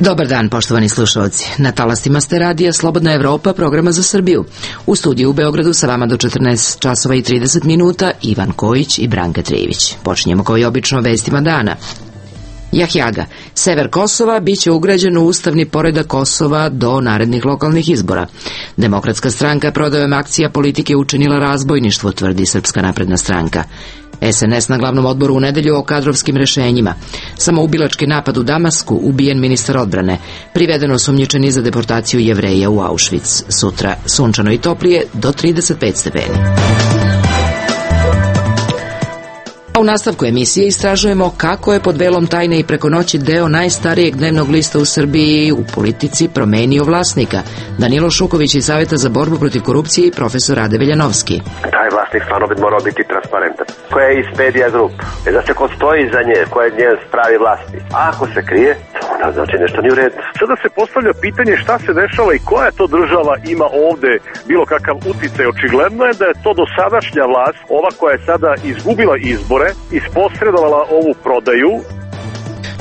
Dobar dan, poštovani slušalci. Na talastima ste radija Slobodna Evropa, programa za Srbiju. U studiju u Beogradu sa vama do 14 časova i 30 minuta Ivan Kojić i Branka Trijević. Počinjemo kao i obično vestima dana. Jahjaga. Sever Kosova biće ugrađen u ustavni poredak Kosova do narednih lokalnih izbora. Demokratska stranka prodajom akcija politike učinila razbojništvo, tvrdi Srpska napredna stranka. SNS na glavnom odboru u nedelju o kadrovskim rešenjima. Samoubilački napad u Damasku, ubijen ministar odbrane. Privedeno osumnjičeni za deportaciju Jevreja u Auschwitz. Sutra sunčano i toplije do 35 stepeni. A u nastavku emisije istražujemo kako je pod velom tajne i preko noći deo najstarijeg dnevnog lista u Srbiji u politici promenio vlasnika. Danilo Šuković iz Saveta za borbu protiv korupcije i profesor Rade Veljanovski. Taj vlasnik stvarno bi morao biti transparentan. Koja je iz Media Group? Da se ko stoji iza nje, ko je njen pravi vlasnik. A ako se krije, onda znači nešto nije u redu. Sada se postavlja pitanje šta se dešava i koja to država ima ovde bilo kakav uticaj. Očigledno je da je to dosadašnja vlast, ova koja je sada izgubila izbore, isposredovala ovu prodaju.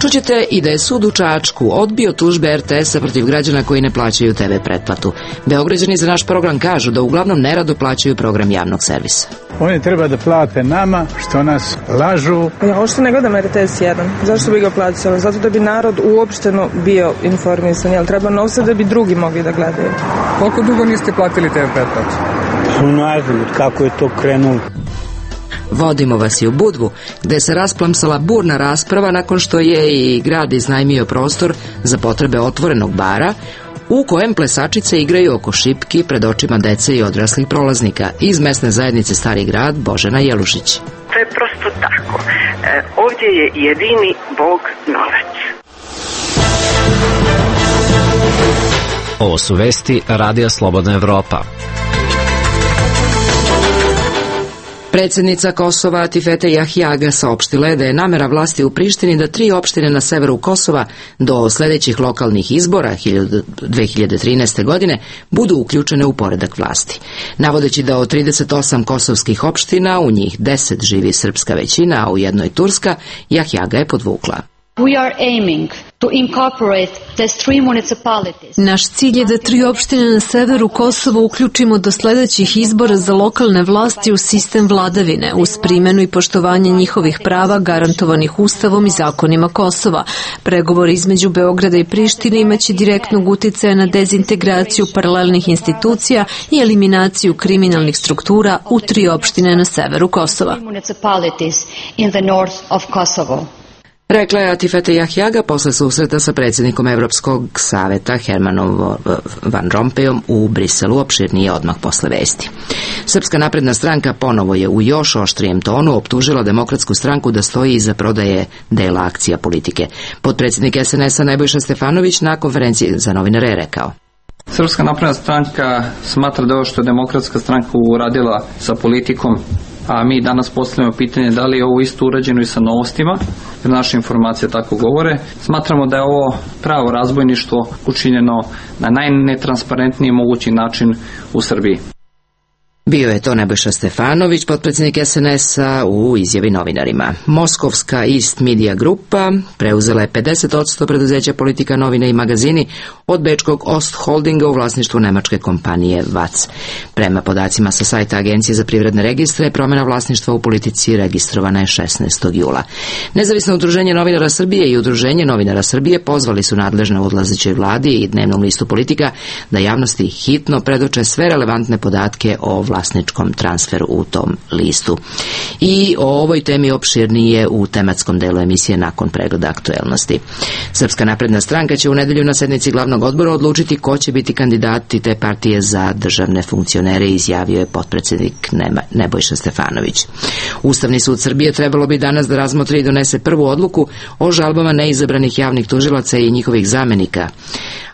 Čućete i da je sud u Čačku odbio tužbe RTS-a protiv građana koji ne plaćaju TV pretplatu. Beograđani za naš program kažu da uglavnom nerado plaćaju program javnog servisa. Oni treba da plate nama što nas lažu. Ja uopšte ne gledam RTS 1. Zašto bi ga plaćali? Zato da bi narod uopšteno bio informisan. Jel treba novca da bi drugi mogli da gledaju? Koliko dugo niste platili TV pretplatu? Ne znam kako je to krenulo. Vodimo vas i u Budvu, gde se rasplamsala burna rasprava nakon što je i grad iznajmio prostor za potrebe otvorenog bara, u kojem plesačice igraju oko šipki pred očima dece i odraslih prolaznika. Iz mesne zajednice Stari grad Božena Jelušić. To je prosto tako. Ovdje je jedini Bog novac. Ovo su vesti Radija Slobodna Evropa. Predsjednica Kosova Atifete Jahjaga saopštila je da je namera vlasti u Prištini da 3 opštine na severu Kosova do sljedećih lokalnih izbora 2013. godine budu uključene u poredak vlasti. Navodeći da od 38 kosovskih opština u njih 10 živi srpska većina, a u jednoj turska, Jahjaga je podvukla. Naš cilj je da 3 opštine na severu Kosova uključimo do sljedećih izbora za lokalne vlasti u sistem vladavine, uz primjenu i poštovanje njihovih prava garantovanih Ustavom i zakonima Kosova. Pregovori između Beograda i Prištine imaće direktnog uticaja na dezintegraciju paralelnih institucija i eliminaciju kriminalnih struktura u 3 opštine na severu Kosova. Rekla je Atifete Jahjaga posle susreta sa predsjednikom Evropskog saveta Hermanom Van Rompuyom u Briselu, opširnije odmah posle vesti. Srpska napredna stranka ponovo je u još oštrijem tonu optužila Demokratsku stranku da stoji iza prodaje dela akcija politike. Potpredsjednik SNS-a Nebojša Stefanović na konferenciji za novinare je rekao: Srpska napredna stranka smatra da ovo što je Demokratska stranka uradila sa politikom, a mi danas postavljamo pitanje da li je ovo isto urađeno i sa novostima, jer naše informacije tako govore. Smatramo da je ovo pravo razbojništvo učinjeno na najnetransparentniji mogući način u Srbiji. Bio je to Nebojša Stefanović, potpredsjednik SNS-a, u izjavi novinarima. Moskovska East Media Grupa preuzela je 50% preduzeća Politika, novine i magazini od bečkog Ost Holdinga u vlasništvu nemačke kompanije VAC. Prema podacima sa sajta Agencije za privredne registre, promjena vlasništva u Politici registrovana je 16. jula. Nezavisno udruženje novinara Srbije i Udruženje novinara Srbije pozvali su nadležne u odlazećoj vladi i dnevnom listu Politika da javnosti hitno predoče sve relevantne podatke o vlasničkom transferu u tom listu. I o ovoj temi opširnije u tematskom delu emisije nakon pregleda aktuelnosti. Srpska napredna stranka će u nedelju na sednici glavnog odbora odlučiti ko će biti kandidati te partije za državne funkcionere, izjavio je potpredsjednik Nebojša Stefanović. Ustavni sud Srbije trebalo bi danas da razmotri i donese prvu odluku o žalbama neizabranih javnih tužilaca i njihovih zamenika,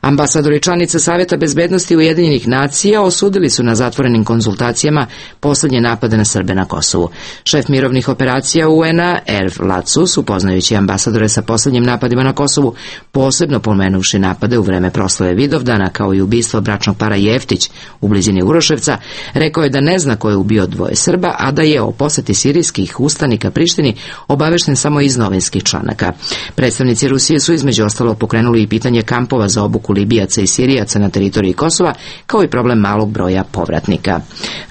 Ambasadori članica Saveta bezbednosti Ujedinjenih nacija osudili su na zatvorenim konzultacijama poslednje napade na Srbe na Kosovu. Šef mirovnih operacija UN-a Erv Lacus, upoznajući ambasadore sa poslednjim napadima na Kosovu, posebno pomenuvši napade u vreme proslave Vidovdana kao i ubistvo bračnog para Jeftić u blizini Uroševca, rekao je da ne zna ko je ubio dvoje Srba, a da je o poseti sirijskih ustanika Prištini obavešten samo iz novinskih članaka. Predstavnici Rusije su između ostalo pokrenuli i pitanje kampova za obuku Libijaca i Sirijaca na teritoriji Kosova, kao i problem malog broja povratnika.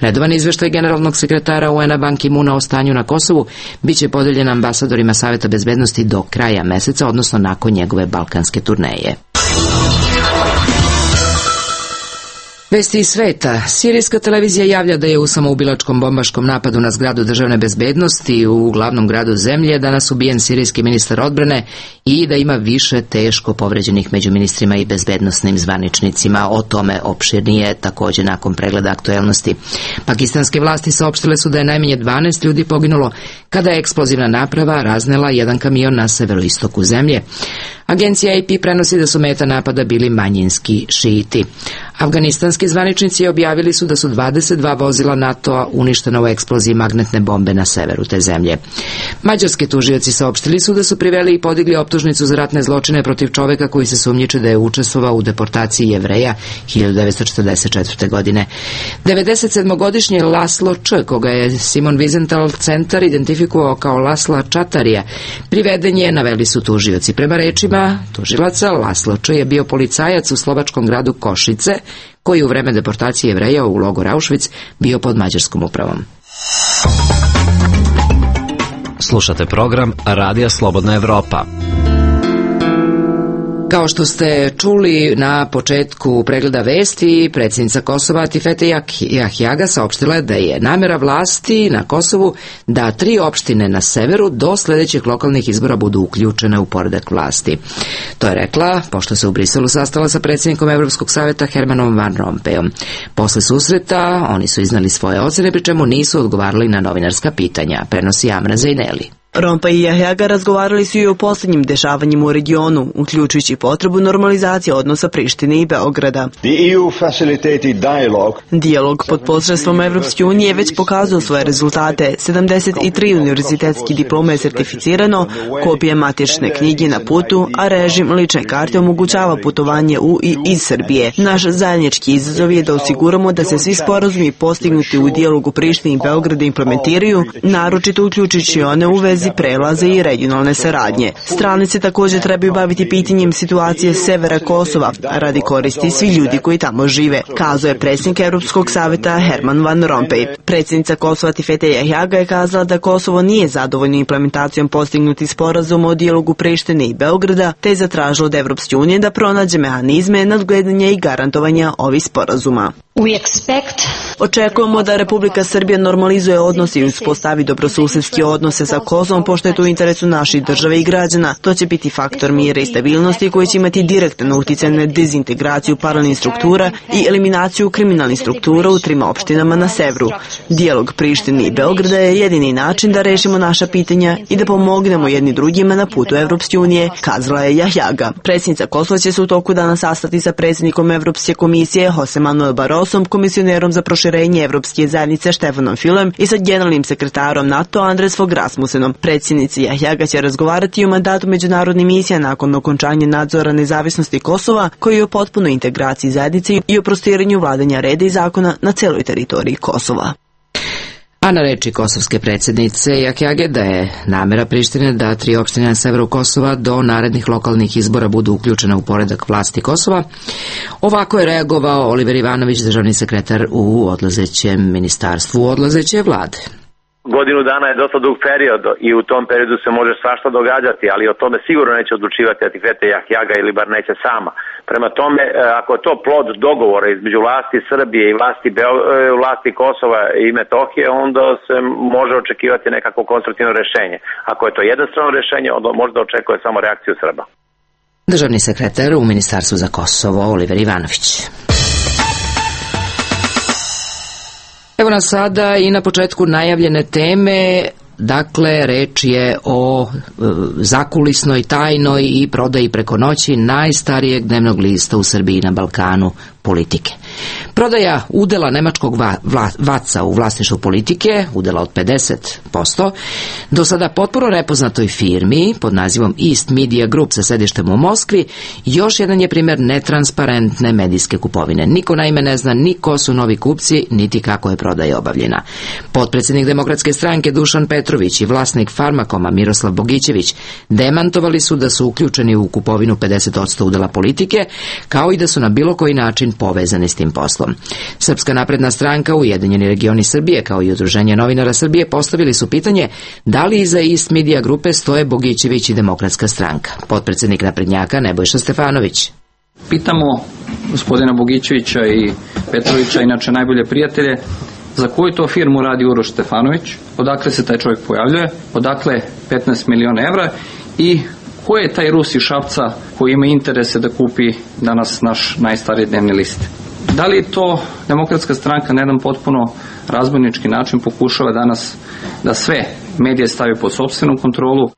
Redovan izveštaj generalnog sekretara UN-a Ban Ki-moona o stanju na Kosovu biće podeljen ambasadorima Saveta bezbednosti do kraja meseca, odnosno nakon njegove balkanske turneje. Vesti iz sveta. Sirijska televizija javlja da je u samoubilačkom bombaškom napadu na zgradu državne bezbednosti u glavnom gradu zemlje danas ubijen sirijski ministar odbrane i da ima više teško povređenih među ministrima i bezbednosnim zvaničnicima. O tome opširnije također nakon pregleda aktuelnosti. Pakistanske vlasti saopštile su da je najmanje 12 ljudi poginulo kada je eksplozivna naprava raznela jedan kamion na severoistoku zemlje. Agencija AP prenosi da su meta napada bili manjinski šiiti. Afganistanski zvaničnici objavili su da su 22 vozila NATO-a uništena u eksploziji magnetne bombe na severu te zemlje. Mađarski tužioci saopštili su da su priveli i podigli optužnicu za ratne zločine protiv čoveka koji se sumnjiči da je učestvovao u deportaciji Jevreja 1944. godine. 97-godišnji Laslo Č, koga je Simon Wiesenthal centar identifikovao kao Lasla Čatarija, priveden je, naveli su tužioci. Prema rečima tužilaca, Laslo Č je bio policajac u slovačkom gradu Košice, koji u vreme deportacije Jevreja u logor Auschwitz bio pod mađarskom upravom. Slušate program Radija Slobodna Evropa. Kao što ste čuli na početku pregleda vesti, predsjednica Kosova Atifete Jahjaga saopštila je da je namjera vlasti na Kosovu da 3 opštine na severu do sljedećih lokalnih izbora budu uključene u poredak vlasti. To je rekla pošto se u Briselu sastala sa predsjednikom Evropskog savjeta Hermanom Van Rompuyom. Posle susreta oni su iznali svoje ocjene, pri čemu nisu odgovarali na novinarska pitanja, prenosi Amra Zejneli. Rompuy i Jahjaga razgovarali su i o posljednjim dešavanjima u regionu, uključujući potrebu normalizacije odnosa Prištine i Beograda. Dijalog pod posredstvom Evropske unije već pokazao svoje rezultate. 73 univerzitetski diploma je sertificirano, kopije matične knjige na putu, a režim lične karte omogućava putovanje u i iz Srbije. Naš zajednički izazov je da osiguramo da se svi sporazumi postignuti u dijalogu Prištine i Beograda implementiraju, naročito uključujući one u vezi prelaze i regionalne saradnje. Strane se također trebaju baviti pitanjem situacije severa Kosova, radi koristi svi ljudi koji tamo žive, kazao je predsjednik Europskog savjeta Herman Van Rompuy. Predsjednica Kosova Atifete Jahjaga je kazala da Kosovo nije zadovoljno implementacijom postignutih sporazuma o dijalogu Prištine i Beograda, te je zatražila od Evropske unije da pronađe mehanizme nadgledanja i garantovanja ovih sporazuma. Očekujemo da Republika Srbija normalizuje odnose i uspostavi dobrosusedske odnose sa Kosovom, pošto je to u interesu naših države i građana. To će biti faktor mira i stabilnosti koji će imati direktan uticaj na dezintegraciju paralelnih struktura i eliminaciju kriminalnih struktura u 3 opštinama na severu. Dijalog Prištine i Beograda je jedini način da rešimo naša pitanja i da pomognemo jedni drugima na putu Evropske unije, kazala je Jahjaga. Predsjednica Kosova će se u toku dana sastati sa predsjednikom Evropske komisije Jose Manuel Barrosom, komisionerom za proširenje Evropske zajednice Štefanom Fülem i sa generalnim sekretarom NATO Andres Fogh Rasmussenom. Predsjednici Jahjaga će razgovarati o mandatu međunarodnih misija nakon okončanja nadzora nezavisnosti Kosova, koji je o potpunoj integraciji zajednice i o prostiranju vladanja reda i zakona na celoj teritoriji Kosova. A na reči kosovske predsjednice Jahjage da je namjera Prištine da 3 opštine na severu Kosova do narednih lokalnih izbora budu uključene u poredak vlasti Kosova. Ovako je reagovao Oliver Ivanović, državni sekretar u odlazećem ministarstvu odlazeće vlade. Godinu dana je dosta dug period i u tom periodu se može svašta događati, ali o tome sigurno neće odlučivati Atifete Jahjaga ili bar neće sama. Prema tome, ako je to plod dogovora između vlasti Srbije i vlasti Kosova i Metohije, onda se može očekivati nekako konstruktivno rješenje. Ako je to jednostrano rješenje, onda možda očekuje samo reakciju Srba. Državni sekretar u Ministarstvu za Kosovo Oliver Ivanović. Evo nas sada i na početku najavljene teme dakle reč je o zakulisnoj, tajnoj i prodaji preko noći najstarijeg dnevnog lista u Srbiji na Balkanu, Politike. Prodaja udela nemačkog Vaca u vlasništvu Politike, udela od 50%, do sada potpuno nepoznatoj firmi pod nazivom East Media Group sa sedištem u Moskvi, još jedan je primjer netransparentne medijske kupovine. Niko naime ne zna ni ko su novi kupci, niti kako je prodaja obavljena. Potpredsjednik Demokratske stranke Dušan Petrović i vlasnik Farmakoma Miroslav Bogićević demantovali su da su uključeni u kupovinu 50% udela Politike, kao i da su na bilo koji način povezani s tim poslom. Srpska napredna stranka, Ujedinjeni regioni Srbije, kao i Udruženje novinara Srbije postavili su pitanje da li iza East Media grupe stoje Bogićević i Demokratska stranka. Potpredsjednik naprednjaka Nebojša Stefanović. Pitamo gospodina Bogićevića i Petrovića, inače najbolje prijatelje, za koju to firmu radi Uroš Stefanović, odakle se taj čovjek pojavljuje, odakle 15 miliona evra i ko je taj Rus iz Šapca koji ima interese da kupi danas naš najstariji dnevni list? Da li to Demokratska stranka na jedan potpuno razbojnički način pokušava danas da sve medije stavi pod sopstvenu kontrolu?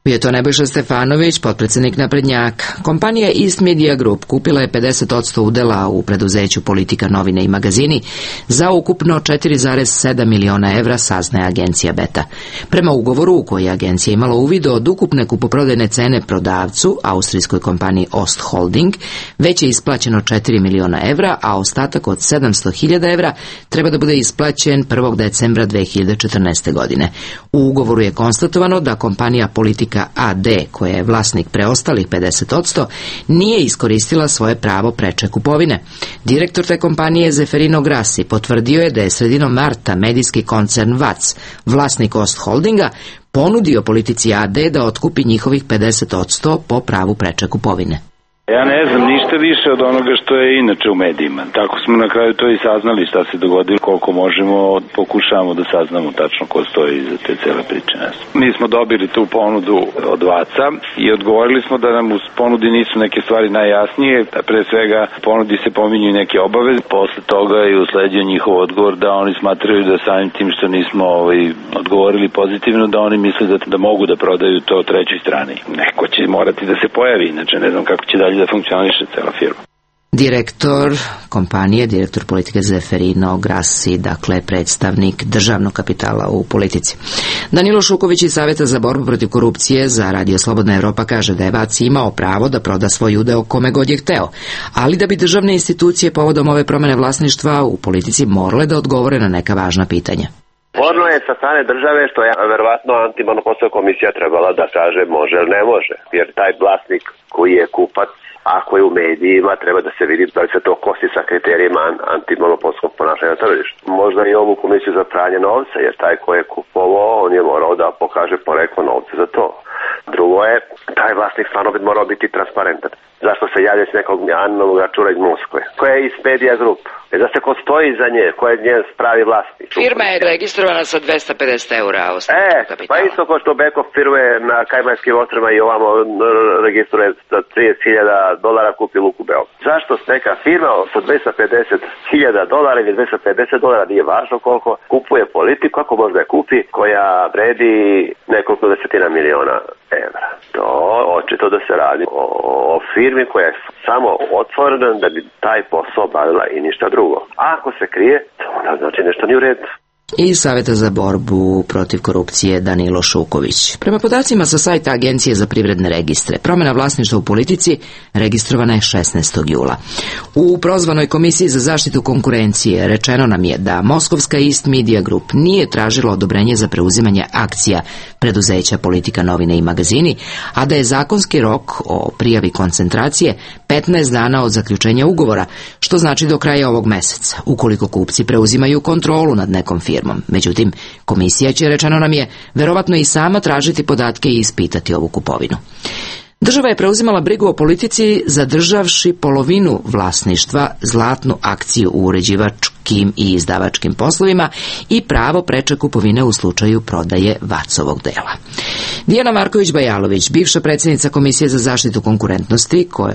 Bio je to Nebojša Stefanović, potpredsjednik naprednjaka. Kompanija East Media Group kupila je 50% udela u preduzeću Politika, novine i magazini za ukupno 4,7 miliona evra, saznaje agencija Beta. Prema ugovoru u koji je agencija imala uvid od ukupne kupoprodajne cene prodavcu, austrijskoj kompaniji Ost Holding, već je isplaćeno 4 miliona evra, a ostatak od 700.000 evra treba da bude isplaćen 1. decembra 2014. godine. U ugovoru je konstatovano da kompanija Politika AD, koja je vlasnik preostalih 50%, nije iskoristila svoje pravo preče kupovine. Direktor te kompanije Zeferino Grassi potvrdio je da je sredinom marta medijski koncern Vac, vlasnik Ost Holdinga, ponudio Politici AD da otkupi njihovih 50% po pravu preče kupovine. Ja ne znam ništa više od onoga što je inače u medijima. Tako smo na kraju to i saznali šta se dogodilo, koliko možemo, pokušavamo da saznamo tačno ko stoji iza te cele priče. Mi smo dobili tu ponudu od Vaca i odgovorili smo da nam u ponudi nisu neke stvari najjasnije. Pre svega ponudi se pominju neke obaveze, posle toga je usledio njihov odgovor da oni smatraju da samim tim što nismo odgovorili pozitivno, da oni misle da mogu da prodaju to trećoj strani. Neko će morati da se pojavi, inače ne znam kako će dalje da funkcioniše cela firma. Direktor kompanije, direktor Politike Zeferino Grassi, dakle predstavnik državnog kapitala u politici. Danilo Šuković iz Saveta za borbu protiv korupcije za Radio Slobodna Evropa kaže da je Vac imao pravo da proda svoj udeo kome god je hteo, ali da bi državne institucije povodom ove promene vlasništva u politici morale da odgovore na neka važna pitanja. Sporno je sa strane države što je verovatno antimonopolska komisija trebala da kaže može ili ne može, jer taj vlasnik koji je kupac, ako je u medijima, treba da se vidi da li se to kosi sa kriterijima antimonopolskog ponašanja na tržištu. Možda i ovu komisiju za pranje novca, jer taj ko je kupovao, on je morao da pokaže poreklo novca za to. Drugo je, taj vlasnik stvarno bi morao biti transparentan. Zašto se javlja s nekog anonimnog računa iz Moskve? Koja je East Media Group? Da se ko stoji za nje, ko je njen pravi vlasnik. Firma je registrovana sa 250 eura osnovnog kapitala. Pa isto kao što Bekov firme na Kajmanskim ostrvima i ovamo registruje za $30.000 kupi Luku Beograd. Zašto neka firma sa $250.000 ili $250, nije važno koliko, kupuje politiku, ako možda je kupi, koja vredi nekoliko desetina miliona evra. To očito da se radi o firmi koja je samo otvorena da bi taj posao obavila i ništa drugo. A ako se krije, to onda znači nešto nije u redu. Iz Saveta za borbu protiv korupcije Danilo Šuković. Prema podacima sa sajta Agencije za privredne registre, promjena vlasništva u politici registrovana je 16. jula. U prozvanoj Komisiji za zaštitu konkurencije rečeno nam je da Moskovska East Media Group nije tražila odobrenje za preuzimanje akcija preduzeća Politika, novine i magazini, a da je zakonski rok o prijavi koncentracije 15 dana od zaključenja ugovora, što znači do kraja ovog meseca, ukoliko kupci preuzimaju kontrolu nad nekom firmom. Međutim, komisija će, rečeno nam je, verovatno i sama tražiti podatke i ispitati ovu kupovinu. Država je preuzimala brigu o politici zadržavši polovinu vlasništva, zlatnu akciju u uređivačkim i izdavačkim poslovima i pravo preče kupovine u slučaju prodaje Vacovog dela. Dijana Marković-Bajalović, bivša predsjednica Komisije za zaštitu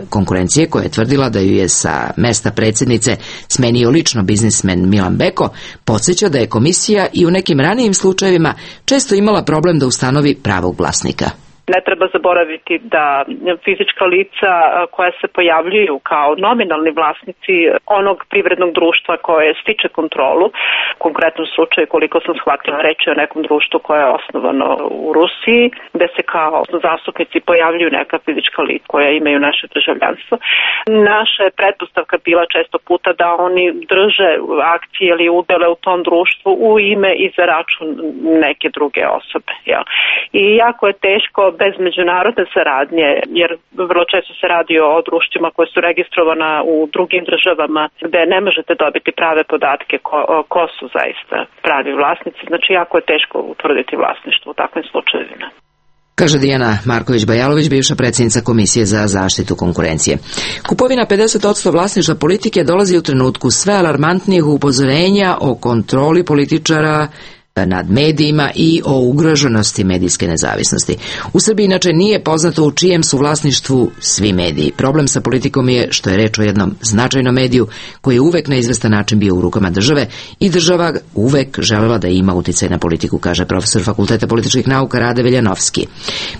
konkurencije, koja je tvrdila da ju je sa mesta predsjednice smenio lično biznismen Milan Beko, podsjeća da je komisija i u nekim ranijim slučajevima često imala problem da ustanovi pravog vlasnika. Ne treba zaboraviti da fizička lica koja se pojavljuju kao nominalni vlasnici onog privrednog društva koje stiče kontrolu, u konkretnom slučaju, koliko sam shvatila, reći o nekom društvu koje je osnovano u Rusiji, gde se kao zastupnici pojavljuju neka fizička lica koja imaju naše državljanstvo. Naša je pretpostavka bila često puta da oni drže akcije ili udele u tom društvu u ime i za račun neke druge osobe. Jel? I jako je teško bez međunarodne saradnje, jer vrlo često se radi o društvima koje su registrovana u drugim državama gde ne možete dobiti prave podatke ko su zaista pravi vlasnici. Znači jako je teško utvrditi vlasništvo u takvim slučajevima. Kaže Dijana Marković-Bajalović, bivša predsjednica Komisije za zaštitu konkurencije. Kupovina 50% vlasništva politike dolazi u trenutku sve alarmantnijih upozorenja o kontroli političara nad medijima i o ugroženosti medijske nezavisnosti. U Srbiji inače nije poznato u čijem su vlasništvu svi mediji. Problem sa politikom je što je reč o jednom značajnom mediju koji je uvek na izvestan način bio u rukama države i država uvek želela da ima uticaj na politiku, kaže profesor Fakulteta političkih nauka Rade Veljanovski.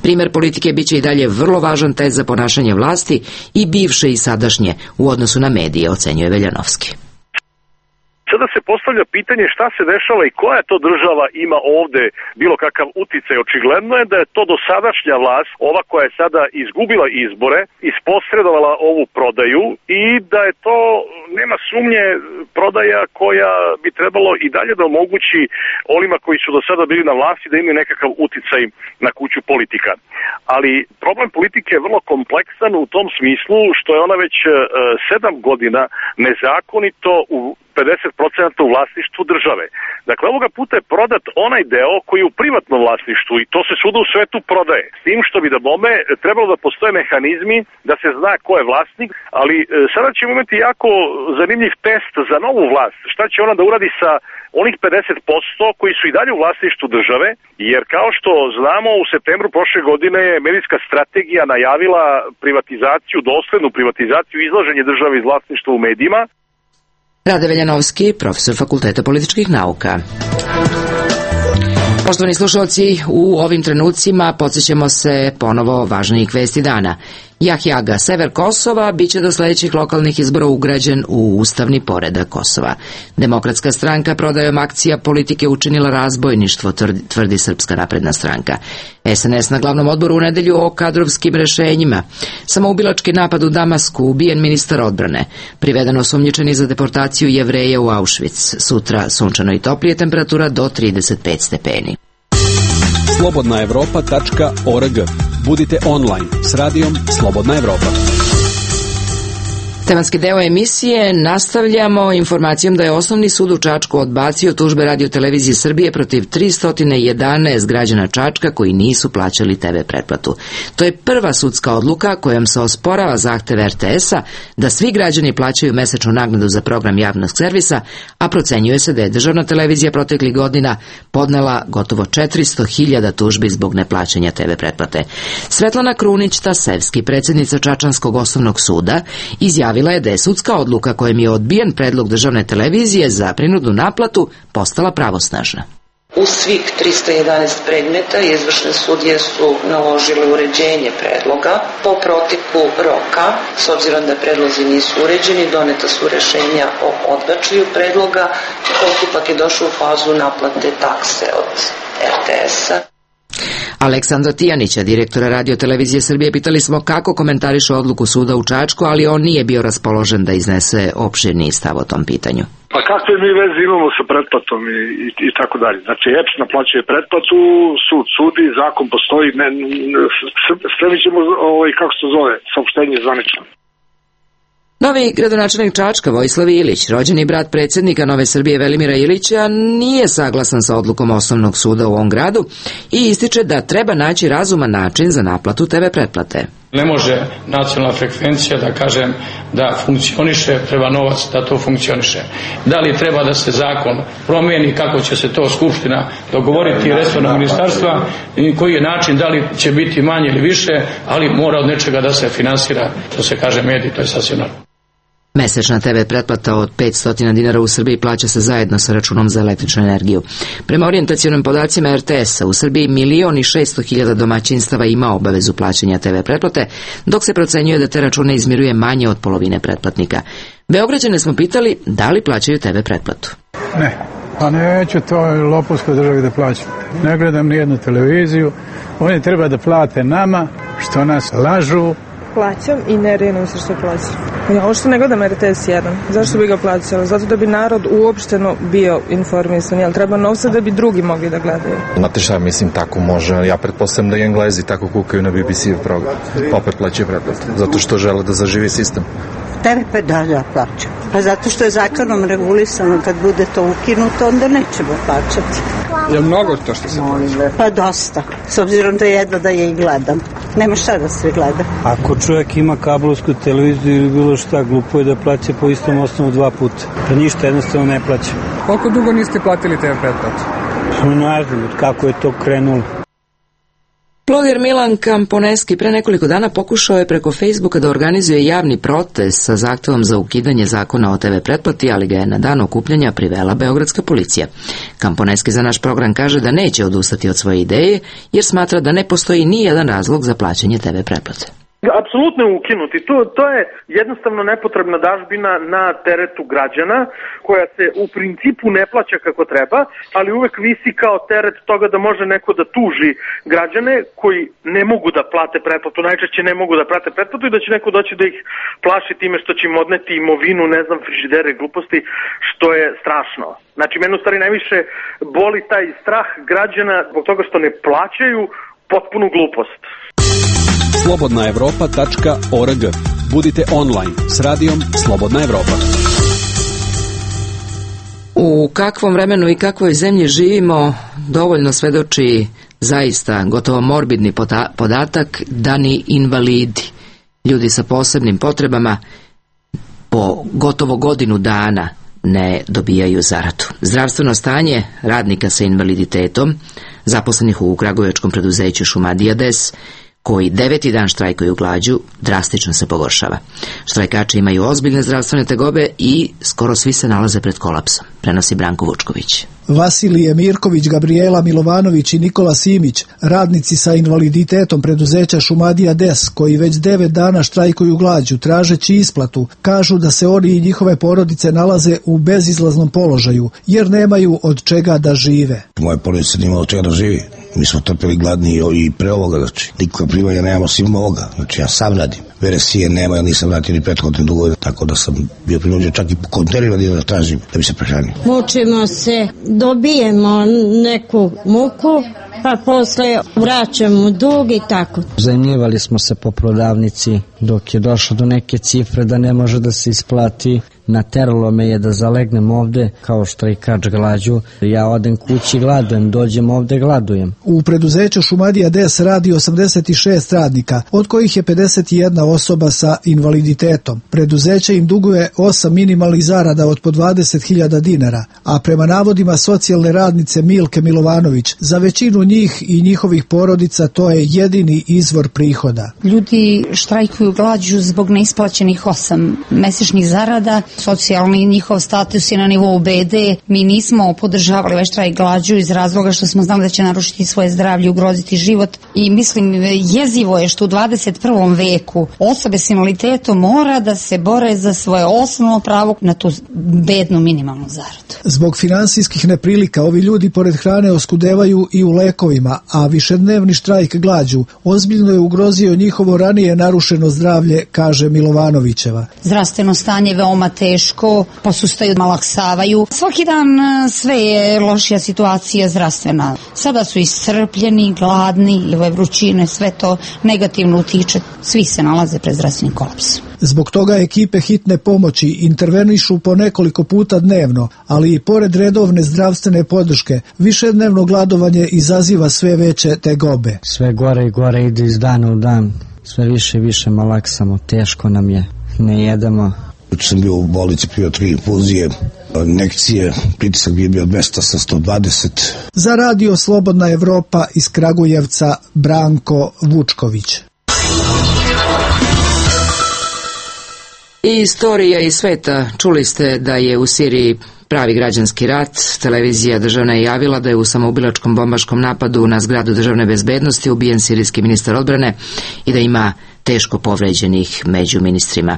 Primer politike biće i dalje vrlo važan test za ponašanje vlasti i bivše i sadašnje u odnosu na medije, ocenjuje Veljanovski. Sada se postavlja pitanje šta se dešava i koja to država ima ovde bilo kakav uticaj. Očigledno je da je to dosadašnja vlast, ova koja je sada izgubila izbore, isposredovala ovu prodaju i da je to, nema sumnje, prodaja koja bi trebalo i dalje da omogući onima koji su do sada bili na vlasti da imaju nekakav uticaj na kuću politika. Ali problem politike je vrlo kompleksan u tom smislu što je ona već 7 godina nezakonito u 50% u vlasništvu države. Dakle, ovoga puta je prodat onaj deo koji je u privatnom vlasništvu i to se svuda u svetu prodaje. S tim što bi da bome trebalo da postoje mehanizmi da se zna ko je vlasnik, ali sada ćemo imati jako zanimljiv test za novu vlast. Šta će ona da uradi sa onih 50% koji su i dalje u vlasništvu države, jer kao što znamo u septembru prošle godine je medijska strategija najavila privatizaciju, doslednu privatizaciju, izlaženje države iz vlasništva u medijima. Rade Veljanovski, profesor Fakulteta političkih nauka. Poštovani slušalci, u ovim trenucima podsjećamo se ponovo važnijih vesti dana. Jahjaga, sever Kosova, biće do sljedećih lokalnih izbora ugrađen u ustavni poredak Kosova. Demokratska stranka prodajom akcija politike učinila razbojništvo, tvrdi Srpska napredna stranka. SNS na glavnom odboru u nedelju o kadrovskim rešenjima. Samoubilački napad u Damasku, ubijen ministar odbrane. Priveden osumnjičeni za deportaciju Jevreja u Auschwitz. Sutra sunčano i toplije, temperatura do 35 stepeni. slobodnaevropa.org. Budite online s radijom Slobodna Evropa. Tematski deo emisije nastavljamo informacijom da je Osnovni sud u Čačku odbacio tužbe Radio-televizije Srbije protiv 311 građana Čačka koji nisu plaćali TV pretplatu. To je prva sudska odluka kojom se osporava zahtev RTS-a da svi građani plaćaju mesečnu naknadu za program javnog servisa, a procenjuje se da je državna televizija proteklih godina podnela gotovo 400.000 tužbi zbog neplaćanja TV pretplate. Svetlana Krunić-Tasevski, predsjednica Čačanskog osnovnog suda, izjavila je da je sudska odluka kojom je odbijen predlog državne televizije za prinudnu naplatu postala pravosnažna. U svih 311 predmeta izvršne sudije su naložile uređenje predloga. Po proteku roka, s obzirom da predlozi nisu uređeni, doneta su rešenja o odbačaju predloga. Postupak je došao u fazu naplate takse od RTS-a. Aleksandra Tijanića, direktora Radio-televizije Srbije, pitali smo kako komentariše odluku suda u Čačku, ali on nije bio raspoložen da iznese opširniji stav o tom pitanju. Pa kakve mi veze imamo sa pretplatom i tako dalje. Znači, EPS naplaćuje pretplatu, sud sudi, zakon postoji, spremit ćemo, kako se zove, saopštenje zvanično. Novi gradonačelnik Čačka, Vojislav Ilić, rođeni brat predsjednika Nove Srbije Velimira Ilića, nije saglasan sa odlukom Osnovnog suda u ovom gradu i ističe da treba naći razuman način za naplatu TV pretplate. Ne može nacionalna frekvencija da kažem da funkcioniše, treba novac da to funkcioniše. Da li treba da se zakon promijeni, kako će se to Skupština dogovoriti, resorno ministarstva, koji je način, da li će biti manje ili više, ali mora od nečega da se finansira, što se kaže mediji, to je sasvim normalno. Mesečna TV pretplata od 500 dinara u Srbiji plaća se zajedno sa računom za električnu energiju. Prema orijentacionim podacima RTS-a u Srbiji 1.600.000 domaćinstava ima obavezu plaćanja TV pretplate, dok se procenjuje da te račune izmiruje manje od polovine pretplatnika. Beograđane smo pitali da li plaćaju TV pretplatu. Ne, pa neću toj lopovskoj državi da plaćam. Ne gledam nijednu televiziju, oni treba da plate nama što nas lažu. Plaćam i ne rijenim se što plaćam. Ja uopšte ne gledam RTS 1. Zašto bi ga plaćala? Zato da bi narod uopšteno bio informisan. Jel treba novca da bi drugi mogli da gledaju? Znate šta, mislim, tako može. Ja pretpostavljam da i Englezi tako kukaju na BBC program. Opet plaćaju pretplatu. Zato što žele da zaživi sistem. TV da plaćam. Pa zato što je zakonom regulisano, kad bude to ukinuto, onda nećemo plaćati. Je mnogo to što se plaća? Pa dosta, s obzirom da jedva da je i gledam. Nema šta da se gleda. Ako čovjek ima kablovsku televiziju ili bilo šta, glupo je da plaća po istom osnovu 2 puta. Pa ništa jednostavno ne plaća. Koliko dugo niste platili TV pretplatu? Ne znam kako je to krenulo. Bloger Milan Kamponeski pre nekoliko dana pokušao je preko Facebooka da organizuje javni protest sa zahtevom za ukidanje zakona o TV pretplati, ali ga je na dan okupljanja privela beogradska policija. Kamponeski za naš program kaže da neće odustati od svoje ideje, jer smatra da ne postoji ni jedan razlog za plaćanje TV pretplate. Apsolutno je ukinuti. To je jednostavno nepotrebna dažbina na teretu građana, koja se u principu ne plaća kako treba, ali uvek visi kao teret toga da može neko da tuži građane koji ne mogu da plate pretplatu, najčešće ne mogu da plate pretplatu i da će neko doći da ih plaši time što će im odneti imovinu, ne znam, frižidere, gluposti, što je strašno. Znači, mene u stvari najviše boli taj strah građana zbog toga što ne plaćaju potpunu glupost. slobodnaevropa.org. Budite online s radijom Slobodna Evropa. U kakvom vremenu i kakvoj zemlji živimo dovoljno svedoči zaista gotovo morbidni podatak da ni invalidi, ljudi sa posebnim potrebama, po gotovo godinu dana ne dobijaju zaradu. Zdravstveno stanje radnika sa invaliditetom, zaposlenih u kragujevačkom preduzeću Šumadija Des, koji 9. dan štrajkuju glađu, drastično se pogoršava. Štrajkači imaju ozbiljne zdravstvene tegobe i skoro svi se nalaze pred kolapsom, prenosi Branko Vučković. Vasilije Mirković, Gabriela Milovanović i Nikola Simić, radnici sa invaliditetom preduzeća Šumadija Des, koji već 9 dana štrajkuju glađu tražeći isplatu, kažu da se oni i njihove porodice nalaze u bezizlaznom položaju, jer nemaju od čega da žive. Moje porodice nema od čega da živi. Mi smo trpeli gladni i pre ovoga, znači nikakva primanja nemamo svim ovoga, znači ja sam radim. Veresije nema, ja nisam vratio ni prethodne dugove, tako da sam bio prinuđen čak i po kontejnerima da tražim da bi se prehranio. Mučimo se, dobijemo neku muku, pa posle vraćamo dug i tako. Zajmljivali smo se po prodavnici dok je došlo do neke cifre da ne može da se isplati. Nateralo me je da zalegnem ovde kao štrajkač glađu. Ja odem kući, gladujem, dođem ovde, gladujem. U preduzeću Šumadija Des radi 86 radnika, od kojih je 51 osoba sa invaliditetom. Preduzeće im duguje 8 minimalnih zarada od po 20.000 dinara, a prema navodima socijalne radnice Milke Milovanović, za većinu njih i njihovih porodica to je jedini izvor prihoda. Ljudi štrajkuju glađu zbog neisplaćenih 8 mesečnih zarada. Socijalni njihov status je na nivou BD. Mi nismo podržavali ovaj štrajk glađu iz razloga što smo znali da će narušiti svoje zdravlje, ugroziti život i mislim jezivo je što u 21. veku osobe s invaliditetom mora da se bore za svoje osnovno pravo na tu bednu minimalnu zaradu. Zbog finansijskih neprilika ovi ljudi pored hrane oskudevaju i u lekovima, a višednevni štrajk glađu ozbiljno je ugrozio njihovo ranije narušeno zdravlje, kaže Milovanovićeva. Zdravstveno stanje veoma teško, posustaju, malaksavaju. Svaki dan sve je lošija situacija zdravstvena. Sada su iscrpljeni, gladni, ove vrućine, sve to negativno utiče. Svi se nalaze pred zdravstvenim kolapsom. Zbog toga ekipe hitne pomoći intervenišu po nekoliko puta dnevno, ali i pored redovne zdravstvene podrške, višednevno gladovanje izaziva sve veće tegobe. Sve gore i gore ide iz dana u dan. Sve više i više malaksamo, teško nam je, ne jedemo. Sam bio u bolnici, pio 3 infuzije, injekcije, pritisak bi bio 200 sa 120. Za Radio Slobodna Evropa iz Kragujevca Branko Vučković. I istorija iz sveta. Čuli ste da je u Siriji pravi građanski rat. Televizija državna je javila da je u samoubilačkom bombaškom napadu na zgradu državne bezbednosti ubijen sirijski ministar odbrane i da ima teško povređenih među ministrima.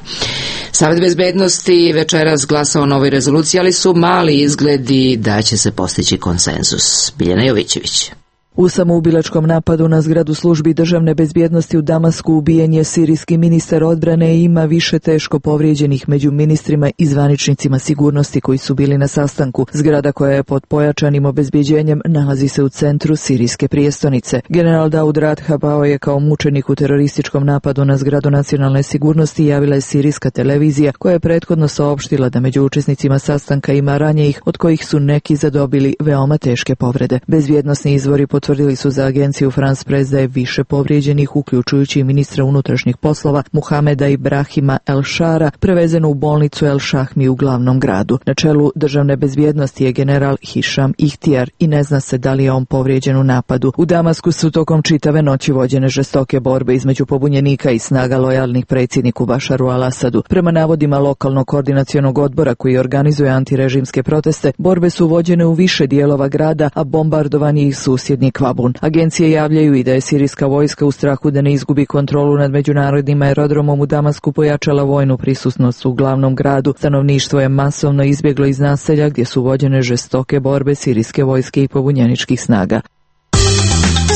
Savet bezbednosti večeras glasao o novoj rezoluciji, ali su mali izgledi da će se postići konsenzus. Biljana Jovićević. U samoubilačkom napadu na zgradu službi državne bezbjednosti u Damasku ubijen je sirijski ministar odbrane i ima više teško povrijeđenih među ministrima i zvaničnicima sigurnosti koji su bili na sastanku. Zgrada koja je pod pojačanim obezbjeđenjem nalazi se u centru sirijske prijestolnice. General Daud Radha pao je kao mučenik u terorističkom napadu na zgradu nacionalne sigurnosti, javila je sirijska televizija koja je prethodno saopštila da među učesnicima sastanka ima ranjenih, od kojih su neki zadobili veoma teške povrede. Bezbjednosni izvori potvrdili su za agenciju France Press da je više povrijeđenih, uključujući i ministra unutrašnjih poslova Muhameda Ibrahima El Shara, prevezeno u bolnicu El Shahmi u glavnom gradu. Na čelu državne bezbjednosti je general Hišam Ihtijar i ne zna se da li je on povrijeđen u napadu. U Damasku su tokom čitave noći vođene žestoke borbe između pobunjenika i snaga lojalnih predsjedniku Bašaru al-Asadu. Prema navodima lokalnog koordinacionog odbora koji organizuje antirežimske proteste, borbe su vođene u više dijelova grada, a bombardovan je i susjedni Kvabun. Agencije javljaju i da je sirijska vojska u strahu da ne izgubi kontrolu nad međunarodnim aerodromom u Damasku pojačala vojnu prisutnost u glavnom gradu. Stanovništvo je masovno izbjeglo iz naselja gdje su vođene žestoke borbe sirijske vojske i pobunjeničkih snaga.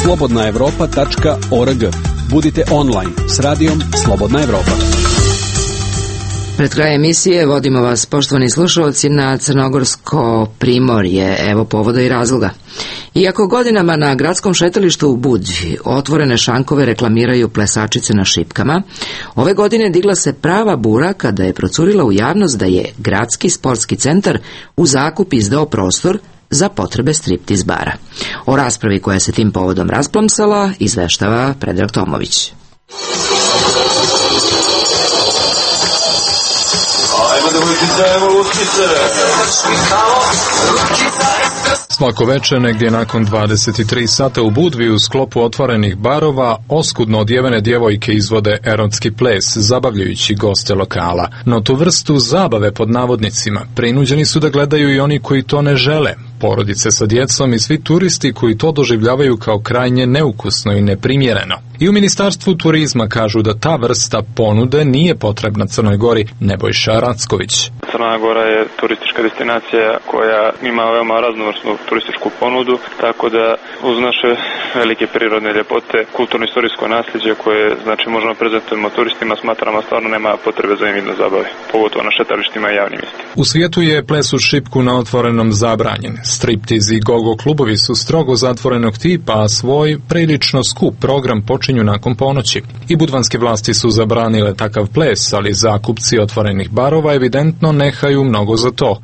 slobodnaevropa.org. Budite online s radijom Slobodna Evropa. Pred kraj emisije vodimo vas, poštovani slušalci, na Crnogorsko primorje. Evo povoda i razloga. Iako godinama na gradskom šetalištu u Budvi otvorene šankove reklamiraju plesačice na šipkama, ove godine digla se prava bura kada je procurila u javnost da je gradski sportski centar u zakup izdao prostor za potrebe striptiz bara. O raspravi koja se tim povodom rasplamsala izveštava Predrag Tomović. Svako večer, negdje nakon 23 sata u Budvi, u sklopu otvorenih barova, oskudno odjevene djevojke izvode erotski ples, zabavljajući goste lokala. No tu vrstu zabave pod navodnicima prinuđeni su da gledaju i oni koji to ne žele, porodice sa djecom i svi turisti koji to doživljavaju kao krajnje neukusno i neprimjereno. I u Ministarstvu turizma kažu da ta vrsta ponude nije potrebna Crnoj Gori. Nebojša Racković. Crna Gora je turistička destinacija koja ima veoma raznovrsnu turističku ponudu, tako da uz naše velike prirodne ljepote, kulturno-istorijsko nasljeđe koje možemo prezentujemo turistima, smatramo stvarno nema potrebe za invidno zabave, pogotovo na šetalištima i javnim mjestima. U svijetu je ples u šipku na otvorenom zabranjen. Striptiz i gogo klubovi su strogo zatvorenog tipa, a svoj prilično skup program počinju nakon ponoći. I budvanske vlasti su zabranile takav ples, ali zakupci otvorenih barova evidentno nehaju mnogo za to.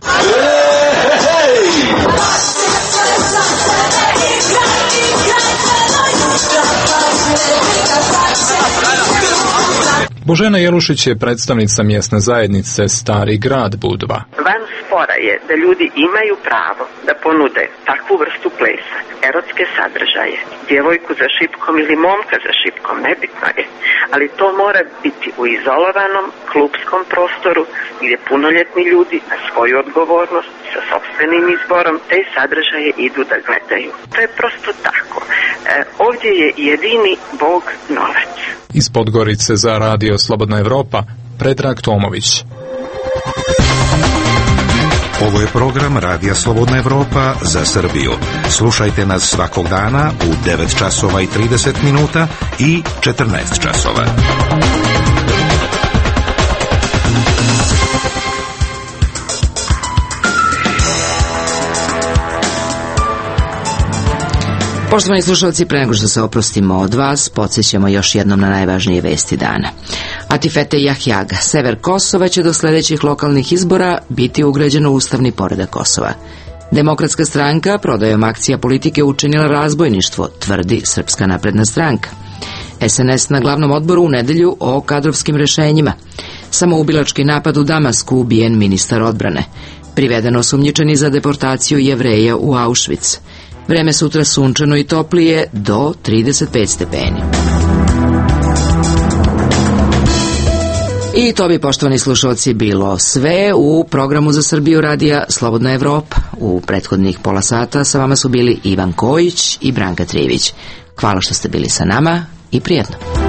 Božena Jelušić je predstavnica mjesne zajednice Stari grad Budva. Van spora je da ljudi imaju pravo da ponude takvu vrstu plesa, erotske sadržaje, djevojku za šipkom ili momka za šipkom, nebitno je, ali to mora biti u izolovanom klupskom prostoru gdje punoljetni ljudi na svoju odgovornost sa sopstvenim izborom te sadržaje idu da gledaju. To je prosto tako. Ovdje je jedini Bog novac. Iz Podgorice za Radio Slobodna Evropa, Predrag Tomović. Ovo je program Radija Slobodna Evropa za Srbiju. Slušajte nas svakog dana u 9 časova i 30 minuta i 14 časova. Poštovani slušalci, pre nego što se oprostimo od vas, podsjećamo još jednom na najvažnije vesti dana. Atifete Jahjaga, sever Kosova, će do sljedećih lokalnih izbora biti ugrađeno u ustavni poredak Kosova. Demokratska stranka prodajom akcija politike učinila razbojništvo, tvrdi Srpska napredna stranka. SNS na glavnom odboru u nedelju o kadrovskim rešenjima. Samoubilački napad u Damasku, ubijen ministar odbrane. Priveden osumnjičeni za deportaciju Jevreja u Auschwitz. Vreme sutra sunčano i toplije do 35 stepeni. I to bi, poštovani slušalci, bilo sve u programu za Srbiju radija Slobodna Evropa. U prethodnih pola sata sa vama su bili Ivan Kojić i Branka Trivić. Hvala što ste bili sa nama i prijatno.